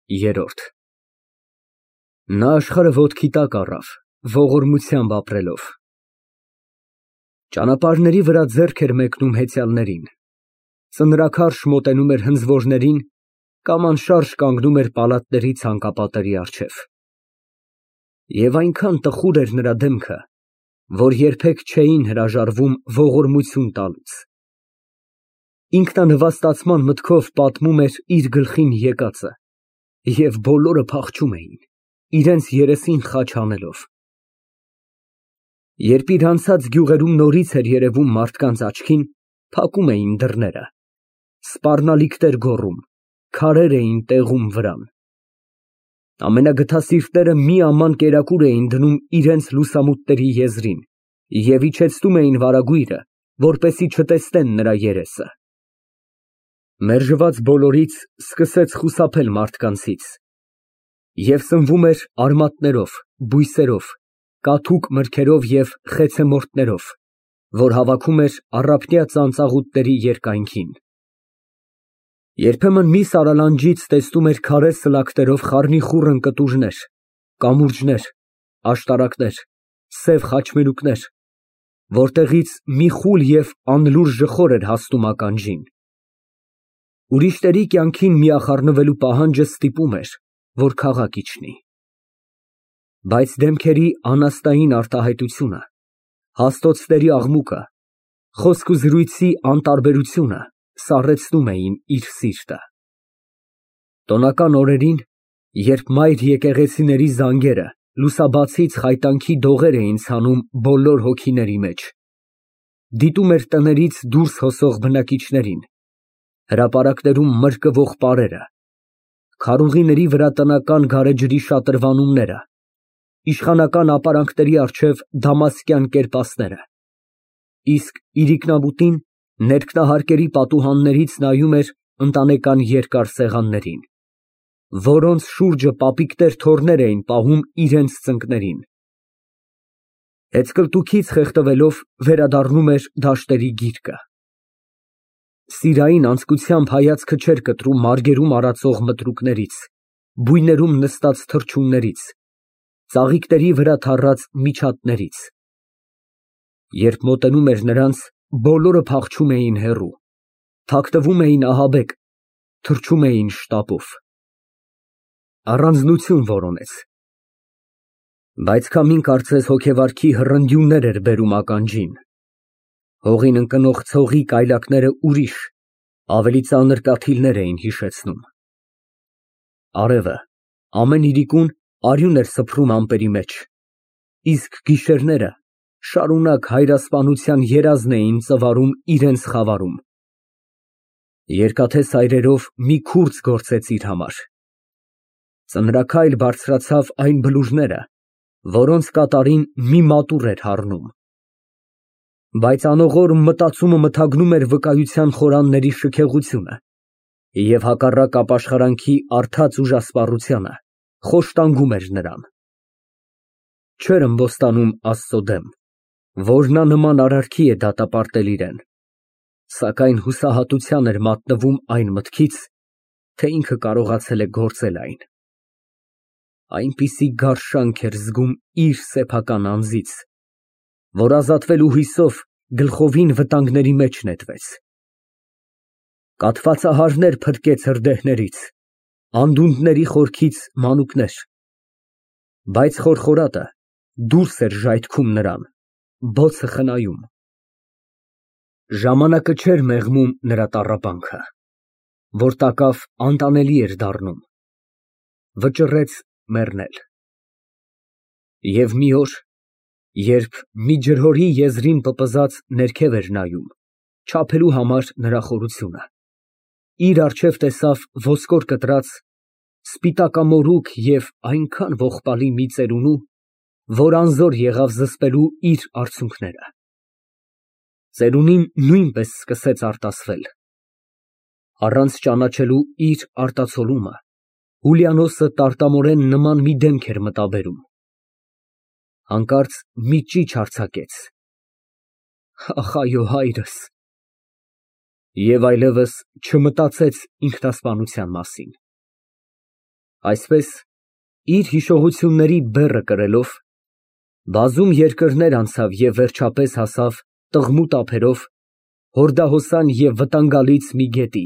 Երրորդ Նա աշխարհը ոտքի տակ առավ, ողորմությամբ ապրելով։ Ճանապարհների վրա ձեռք էր մեկնում հեծյալներին, ծնրաքարշ մոտենում էր հնձվորներին կամ անշարժ կանգնում էր պալատների ցանկապատերի առջև։ Եվ այնքան տխուր էր նրա դեմքը, որ երբեք չէին հրաժարվում ողորմություն տալուց։ Ինքնանվաստացման մտքով պատմում էր իր գլխին եկածը, և բոլորը փախչում էին, իրենց երեսին խաչ հանելով։ Երբ իր անցած գյուղերում նորից էր երևում մարդկանց աչքին, փակում էին դռները, սպառնալիքներ գոռում, քարեր էին տեղում վրան։ Ամենագթասիրտները մի աման կերակուր էին դնում իրենց լուսամուտների եզրին և իջեցնում էին վարագույրը, որպեսզի չտեսնեն նրա երեսը։ Մերժված բոլորից սկսեց խուսափել մարդկանցից և սնվում էր արմատներով, բույսերով, կաթուկ մրգերով և խեցեմորտներով, որ հավաքում էր առափնյա ծանծաղուտների երկայնքին։ Երբեմն մի սարալանջից տեսնում էր քարե սլաքներով խառնիխուռն կտուժներ, կամուրջներ, աշտարակներ, սև խաչմերուկներ, որտեղից մի խուլ և անլուռ ժխոր էր հասնում ականջին։ Ուրիշների կյանքին միախառնվելու պահանջը ստիպում էր, որ քաղաք իջնի։ Բայց դեմքերի անաստային արտահայտությունը, հաստոցների աղմուկը, խոսք ու զրույցի անտարբերությունը սառեցնում էին իր սիրտը։ Տոնական օրերին, երբ մայր եկեղեցիների զանգերը լուսաբացից խայտանքի դողեր էին ցանում բոլոր հոգիների մեջ, դիտում էր տներից դուրս հոսող բնակիչներին, հրապարակներում մրկվող պարերը, քարուղիների վրա տնական գարեջրի շատրվանումները, իշխանական ապարանքների առջև դամասկյան կերպասները, իսկ իրիկնաբուտին ներքնահարկերի պատուհաններից նայում էր ընտանեկան երկար սեղաններին, որոնց շուրջը պապիկներ թոռներ էին պահում իրենց ծնկներին։ Հետզկլտուքից խեղդվելով վերադառնում էր դաշտերի գիրկը։ Սիրային անձկությամբ հայացքը չէր կտրում մարգերում արածող մտրուկներից, բույներում նստած թռչուններից, ծաղիկների վրա թառած միջատներից։ Երբ մոտենում էր նրանց, բոլորը փախչում էին հեռու, թաքնվում էին ահաբեկ, թռչում էին շտապով։ Առանձնություն որոնեց։ Բայց քամին կարծես հոգեվարքի հռնդյուններ էր բերում ականջին։ Հողին ընկնող ցողի կայլակները ուրիշ, ավելի ծանր կաթիլներ էին հիշեցնում։ Արևը ամեն իրիկուն արյուն էր սփռում ամպերի մեջ, իսկ գիշերները շարունակ հայրասպանության երազն էին ծվարում իրենց խավարում։ Երկաթե սայրերով մի քուրձ գործեց իր համար։ Ծնրաքայլ բարձրացավ այն բլուրները, որոնց կատարին մի մատուռ էր հառնում։ Բայց անողոր մտածումը մթագնում էր վկայության խորանների շքեղությունը և հակառակ ապաշխարանքի արդած ուժասպառությանը խոշտանգում էր նրան։ Չէր ըմբոստանում Աստծո դեմ, որ նա նման արարքի է դատապարտել իրան, սակայն հուսահատության էր մատնվում այն մտքից, թե ինքը կարողացել է գործել այն։ Այնպիսի գարշանք էր զգում իր սեփական անձից, որ ազատվելու հույսով գլխովին վտանգների մեջ նետվեց։ Կաթվածահարներ փրկեց հրդեհներից, անդունդների խորքից մանուկներ, բայց խորխորատը դուրս էր ժայթքում նրան, բոցը խնայում։ Ժամանակը չէր մեղմում նրա տառապանքը, որ տակավ անտանելի էր դառնում, վճռեց մեռնել։ Եվ մի օր, երբ մի ջրհորի եզրին պպզած ներքև էր նայում, չափելու համար նրա խորությունը, իր առջև տեսավ ոսկոր կտրած, սպիտակամորուք և այնքան ողբալի մի ծերունու, որ անզոր եղավ զսպելու իր արցունքները։ Ծերունին նույնպես սկսեց արտասվել։ Առանց ճանաչելու իր արտացոլումը, Հուլիանոսը տարտամորեն նման մի դեմք էր մտաբերում։ Հանկարծ մի ճիչ արձակեց. «Ախ, այո, հայրս», և այլևս չմտածեց ինքնասպանության մասին։ Այսպես, իր հիշողությունների բեռը կրելով, բազում երկրներ անցավ և վերջապես հասավ տղմուտ ափերով հորդահոսան և վտանգալից մի գետի,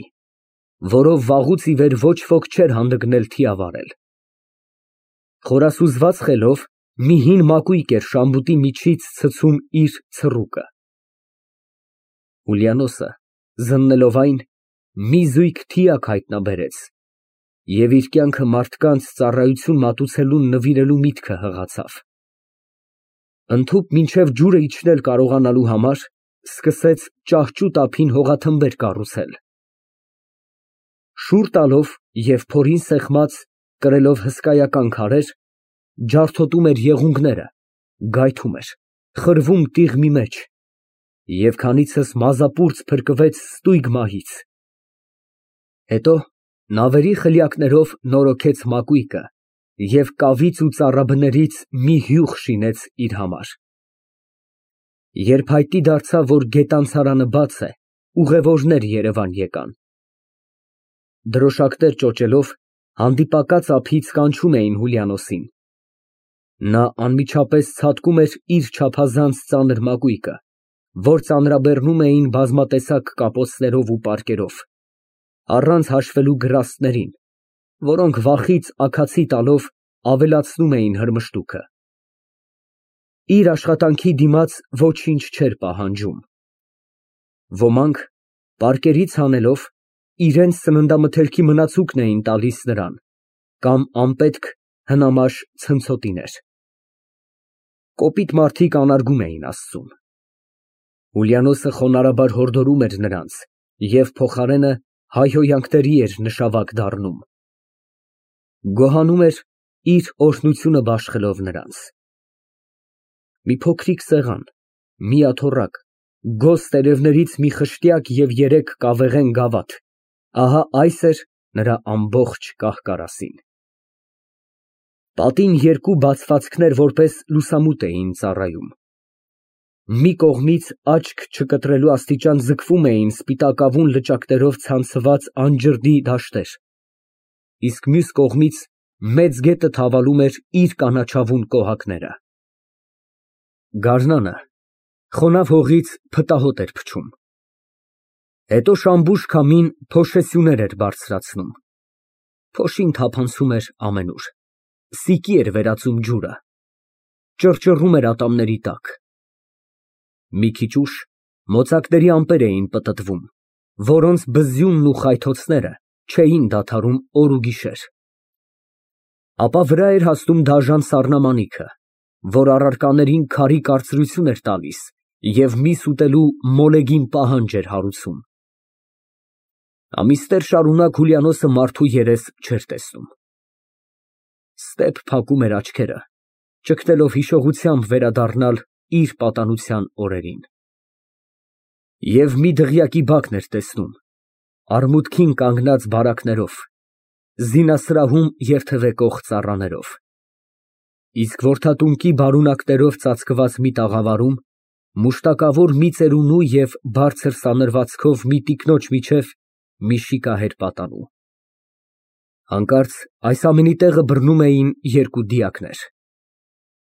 որով վաղուց ի վեր ոչ ոք չէր հանդգնել թիավարել։ Խորասուզված խելով մի հին մակույկ էր շամբուտի միջից ցցում իր ցռուկը։ Ուլիանոսը, զննելով այն, մի զույգ թիակ հայտնաբերեց և իր կյանքը մարդկանց ծառայություն մատուցելուն նվիրելու միտքը հղացավ։ Ընդհուպ մինչև ջուրը իջնել կարողանալու համար սկսեց ճահճուտ ափին հողաթմբեր կառուցել։ Շուռ տալով և փորին սեղմած, կրելով հսկայական քարեր, ջարդոտում էր եղունգները, գայթում էր, խրվում տիղմի մեջ, և քանիցս մազապուրծ փրկվեց ստույգ մահից։ Հետո նավերի խլյակներով նորոգեց մակույկը և կավից ու ծառաբներից մի հյուղ շինեց իր համար։ Երբ հայտնի դարձավ, որ գետանցարանը բաց է, ուղևորներ Երևան եկան։ Դրոշակներ ճոճելով, հանդիպակաց ափից կանչում էին Հուլիանոսին։ Նա անմիջապես ցատկում էր իր չափազանց ծանր մակույկը, որ ծանրաբեռնում էին բազմատեսակ կապոցներով ու պարկերով, առանց հաշվելու գրաստներին, որոնք վախից աքացի տալով ավելացնում էին հրմշտուքը։ Իր աշխատանքի դիմաց ոչինչ չէր պահանջում։ Ոմանք, պարկերից հանելով, իրենց սննդամթերքի մնացուկն էին տալիս նրան, կամ անպետք հնամաշ ցնցոտիներ։ Կոպիտ մարդիկ անարգում էին Աստծուն։ Ուլիանոսը խոնարհաբար հորդորում էր նրանց և փոխարենը հայհոյանքների էր նշավակ դառնում։ Գոհանում էր իր օրհնությունը բաշխելով նրանց։ Մի փոքրիկ սեղան, մի աթոռակ, գոզ տերևներից մի խշտյակ և 3 կավեղեն գավաթ, ահա այս էր նրա ամբողջ կահ֊կարասին։ Պատին 2 բացվածքներ որպես լուսամուտ էին ծառայում։ Մի կողմից աչք չկտրելու աստիճան ձգվում էին սպիտակավուն լճակներով ցանցված անջրդի դաշտեր, իսկ մյուս կողմից մեծ գետը թավալում էր իր կանաչավուն կոհակները։ Գարնանը խոնավ հողից փտահոտ էր փչում։ Հետո շամբուշ քամին փոշեսյուներ էր բարձրացնում։ Փոշին թափանցում էր ամենուր, սիկի էր վերածում ջուրը, ճռճռում էր ատամների տակ։ Մի քիչ ուշ մոծակների ամպեր էին պտտվում, որոնց բզյունն ու խայթոցները չէին դադարում օր ու գիշեր։ Ապա վրա էր հասնում դաժան սառնամանիքը, որ առարկաներին քարի կարծրություն էր տալիս և միս ուտելու մոլեգին պահանջ էր հարուցում։ Ամիսներ շարունակ Հուլիանոսը մարդու երես չէր տեսնում։ Ստեպ փակում էր աչքերը, ճգնելով հիշողությամբ վերադառնալ իր պատանության օրերին։ Եվ մի դղյակի բակն էր տեսնում, արմունկին կանգնած բարակներով, զինասրահում երթևեկող ծառաներով։ Իսկ որդատունկի բարունակներով ծածկված մի տաղավարում մուշտակավոր մի ծերունու և բարձր սանրվածքով մի տիկնոջ միջև մի շիկահեր պատանու։ Հանկարծ այս ամենի տեղը բռնում էին 2 դիակներ։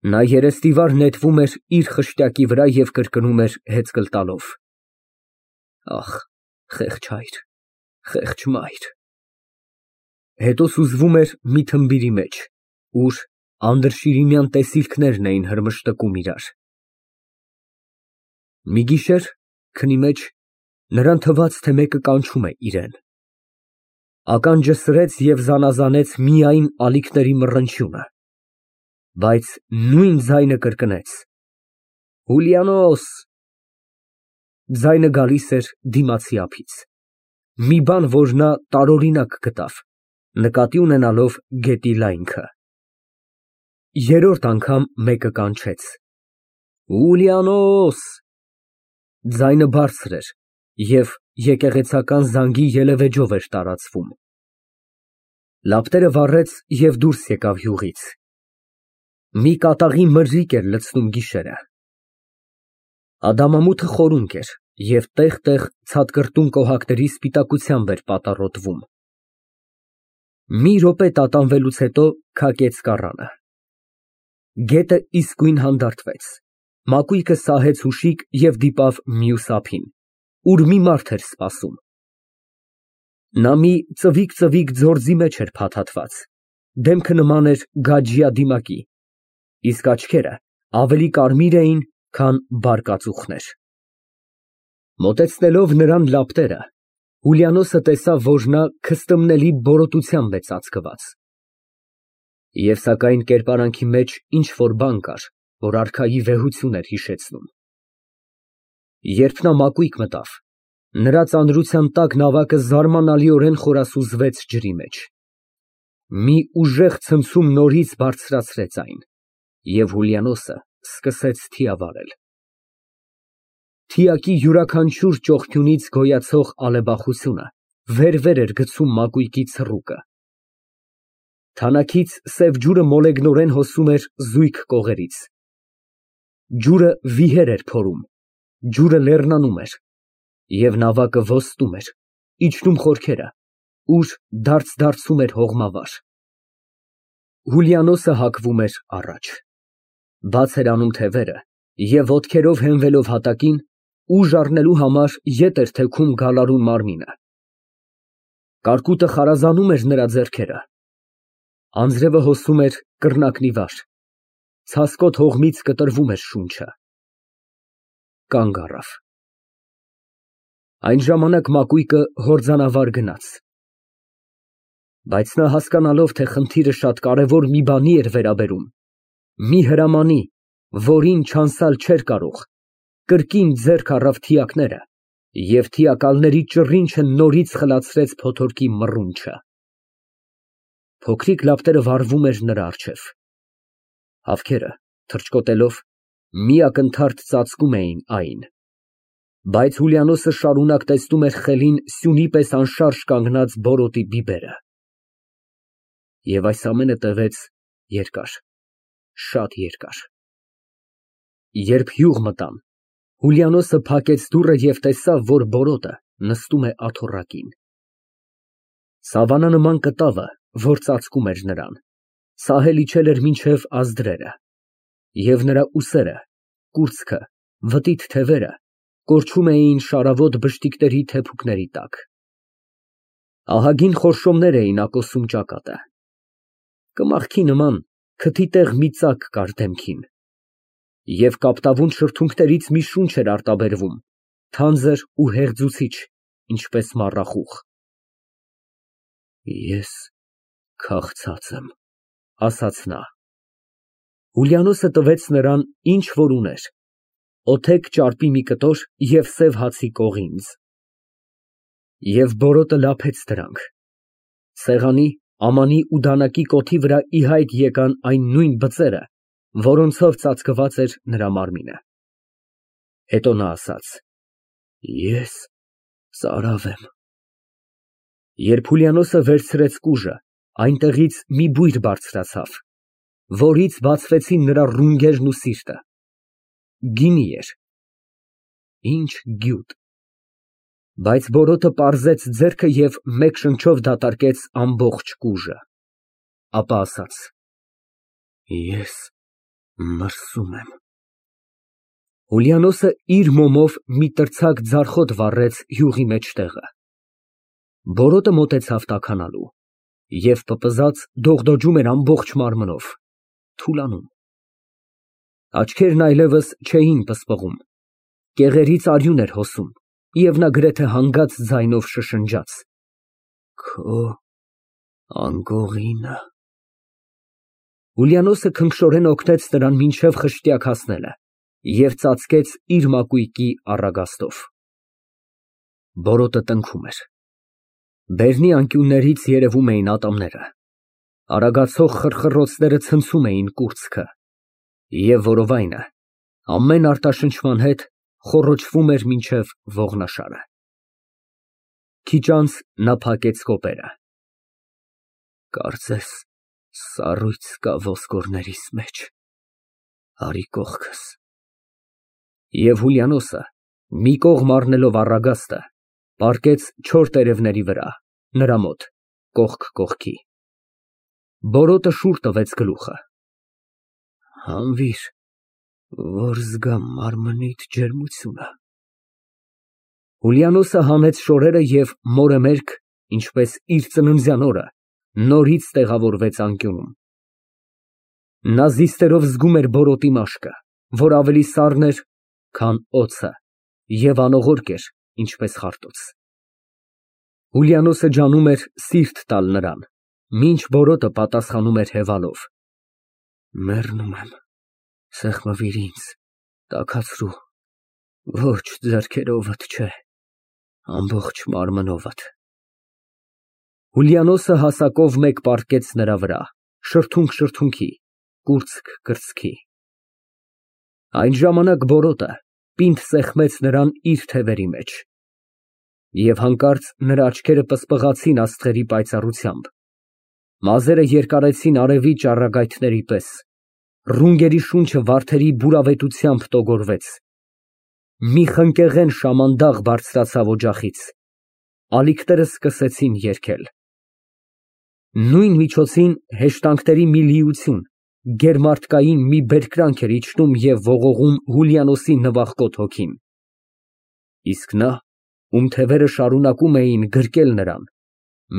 Նա երեստիվար նետվում էր իր խշտյակի վրա և կրկնում էր հեծկլ տալով. «Ախ, խեղճ հայր, խեղճ մայր»։ Հետո սուզվում էր մի թմբիրի մեջ, ուր անդրշիրիմյան տեսիլքներն էին հրմշտկում իրար։ Մի գիշեր քնի մեջ նրան թվաց, թե մեկը կանչում է իրան։ Ականջը սրեց և զանազանեց միայն ալիքների մռնչյունը, բայց նույն ձայնը կրկնեց. «Հուլիանոս»։ Ձայնը գալիս էր դիմացի ափից, մի բան, որ նա տարօրինակ գտավ, նկատի ունենալով գետի լայնքը։ Երրորդ անգամ մեկը կանչեց. «Ուլիանոս»։ Ձայնը բարձր էր և եկեղեցական զանգի ելևէջով էր տարածվում։ Լապտերը վառեց և դուրս եկավ յուղից։ Մի կատաղի մրրիկ էր լցնում գիշերը։ Ադամամութը խորունկ էր և տեղ֊տեղ ցատկրտուն կոհակների սպիտակությամբ էր պատառոտվում։ Մի րոպե տատանվելուց հետո քակեց կառանը։ Գետը իսկույն հանդարտվեց։ Մակույկը սահեց հուշիկ և դիպավ մյուս ափին, ուր մի մարդ էր սպասում։ Նա մի ծվիկ ձորձի մեջ էր փաթաթված, դեմքը նման էր գաջյա դիմակի, իսկ աչքերը ավելի կարմիր էին, քան բարկածուխներ։ Մոտեցնելով նրան լապտերը, Հուլիանոսը տեսավ, որ նա քստմնելի բորոտությամբ է ծածկված։ Եվ սակայն կերպարանքի մեջ ինչ-որ բան կար, որ արքայի վեհություն էր հիշեցնում։ Երբ նա մակույկ մտավ, նրա ծանրության տակ նավակը զարմանալիորեն խորասուզվեց ջրի մեջ։ Մի ուժեղ ցնցում նորից բարձրացրեց այն, և Հուլիանոսը սկսեց թիավարել։ Թիակի յուրաքանչյուր ճողփյունից գոյացող ալեբախությունը վեր էր գցում մակույկի ցռուկը։ Թանաքից սև ջուրը մոլեգնորեն հոսում էր զույգ կողերից։ Ջուրը վիհեր էր փորում, ջուրը լեռնանում էր, և նավակը ոստում էր, իջնում խորքերը, ուր դարձում էր հողմավար։ Հուլիանոսը հակվում էր առաջ։ Բաց էր անում թևերը և ոտքերով հենվելով հատակին, ուժ առնելու համար ետ էր թեքում գալարուն մարմինը։ Կարկուտը խարազանում էր նրա ձեռքերը։ Անձրևը հոսում էր կռնակնի վար, ցասկոտ հողմից կտրվում էր շունչը։ Կանգ առավ։ Այն ժամանակ մակույկը հորձանավար գնաց։ Բայց նա հասկանալով, թե խնդիրը շատ կարևոր մի բանի էր վերաբերում, մի հրամանի, որին չանցալ չէր կարող, կրկին ձեռք առավ թիակները և թիակալների ճռինչը նորից խլացրեց փոթորկի մռունչը։ Փոքրիկ լապտերը վառվում էր նրա առջև։ Հավքերը, թռչկոտելով, մի ակնթարթ ծածկում էին այն։ Բայց Հուլիանոսը շարունակ տեսնում էր խելին սյունի պես անշարժ կանգնած բորոտի բիբերը։ Եվ այս ամենը տևեց երկար, շատ երկար։ Երբ յուղ մտան, Հուլիանոսը փակեց դուռը և տեսավ, որ բորոտը նստում է աթոռակին։ Սավանա նման կտավը, որ ծածկում էր նրան, սահել իջել էր մինչև ազդրերը, և նրա ուսերը, կուրծքը, վտիտ թևերը կորչում էին շարավոտ բշտիկների թեփուկների տակ։ Ահագին խորշոմներ էին ակոսում ճակատը։ Կմախքի նման քթի տեղ մի ծակ կար դեմքին, և կապտավուն շրթունքներից մի շունչ էր արտաբերվում, թանձր ու հեղձուցիչ, ինչպես մառախուղ։ Ես քաղցած եմ, ասաց նա։ Հուլիանոսը տվեց նրան, ինչ որ ուներ, օթեք ճարպի մի կտոր և սև հացի կողինձ։ Եվ բորոտը լափեց դրանք։ Սեղանի, ամանի ու դանակի կոթի վրա ի հայտ եկան այն նույն բծերը, որոնցով ծածկված էր նրա մարմինը։ Հետո նա ասաց. Ես ծարավ եմ։ Երբ Հուլիանոսը վերցրեց կուժը, այնտեղից մի բույր բարձրացավ, որից բացվեցին նրա ռունգերն ու սիրտը։ Գինի էր։ Ինչ գյուտ։ Բայց բորոտը պարզեց ձեռքը և մեկ շնչով դատարկեց ամբողջ կուժը։ Ապա ասաց. Ես մրսում եմ։ Հուլիանոսը իր մոմով մի տրցակ ձարխոտ վառեց յուղի մեջտեղը։ Բորոտը մոտեցավ տաքանալու և պպզած դողդոջում էր ամբողջ մարմնով, թուլանում։ Աչքերն այլևս չէին պսպղում, կեղերից արյուն էր հոսում, և նա գրեթե հանգած ձայնով շշնջաց. Քո անգողինը։ Հուլիանոսը քնքշորեն օգնեց նրան մինչև խշտյակ հասնելը և ծածկեց իր մակույկի առագաստով։ Բորոտը տնքում էր։ Բերնի անկյուններից երևում էին ատամները։ Արագացող խրխռոցները ցնցում էին կուրծքը, և որովայնը, ամեն արտաշնչման հետ, խոռոչվում էր մինչև ողնաշարը։ Քիչ անց նա փակեց կոպերը։ Կարծես սառույց կա ոսկորներիս մեջ, արի կողքս։ Եվ Հուլիանոսը, մի կողմ առնելով առագաստը, պառկեց չոր տերևների վրա, նրա մոտ, կողք կողքի։ Բորոտը շուռ տվեց գլուխը։ Հանվիր, որ զգամ մարմնիդ ջերմությունը։ Հուլիանոսը հանեց շորերը և մորը մերկ, ինչպես իր ծննդյան օրը, նորից տեղավորվեց անկյունում։ Նա զիստերով զգում էր բորոտի մաշկը, որ ավելի սառն էր, քան օձը, և անողորկ էր, ինչպես խարտոց։ Հուլիանոսը ջանում էր սիրտ տալ նրան, մինչ բորոտը պատասխանում էր հևալով. Մեռնում եմ, սեղմվիր ինձ, տաքացրու, ոչ ձեռքերովդ չէ, ամբողջ մարմնովդ։ Հուլիանոսը հասակով մեկ պառկեց նրա վրա, շրթունք շրթունքի, կուրծք կրծքի։ Այն ժամանակ բորոտը պինդ սեղմեց նրան իր թևերի մեջ, և հանկարծ նրա աչքերը պսպղացին աստղերի պայծառությամբ, մազերը երկարեցին արևի ճառագայթների պես, ռունգերի շունչը վարդերի բուրավետությամբ տոգորվեց, մի խնկեղեն շամանդաղ բարձրացավ օջախից, ալիքները սկսեցին երգել։ Նույն միջոցին հեշտանքների մի լիություն, գերմարդկային մի բերկրանք էր իջնում և ողողում Հուլիանոսի նվախկոտ հոգին։ Իսկ նա, ում թևերը շարունակում էին գրկել նրան,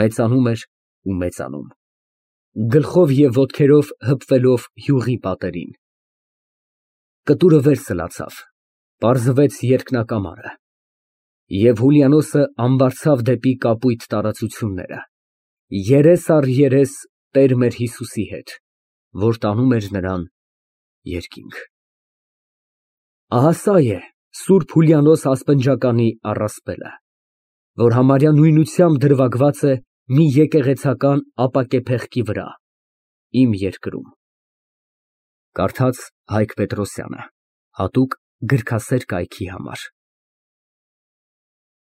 մեծանում էր ու մեծանում, գլխով և ոտքերով հպվելով յուղի պատերին։ Կտուրը վեր սլացավ, պարզվեց երկնակամարը, և Հուլիանոսը ամբարձավ դեպի կապույտ տարածությունները, երես առ երես տեր մեր Հիսուսի հետ, որ տանում էր նրան երկինք։ Ահա սա է Սուրբ Հուլիանոս ասպնջականի առասպելը, որ համարյա նույնությամբ դրվագված է մի եկեղեցական ապակե փեղկի վրա, իմ երկրում։ Կարդաց Հայկ Պետրոսյանը, հատուկ գրքասեր կայքի համար։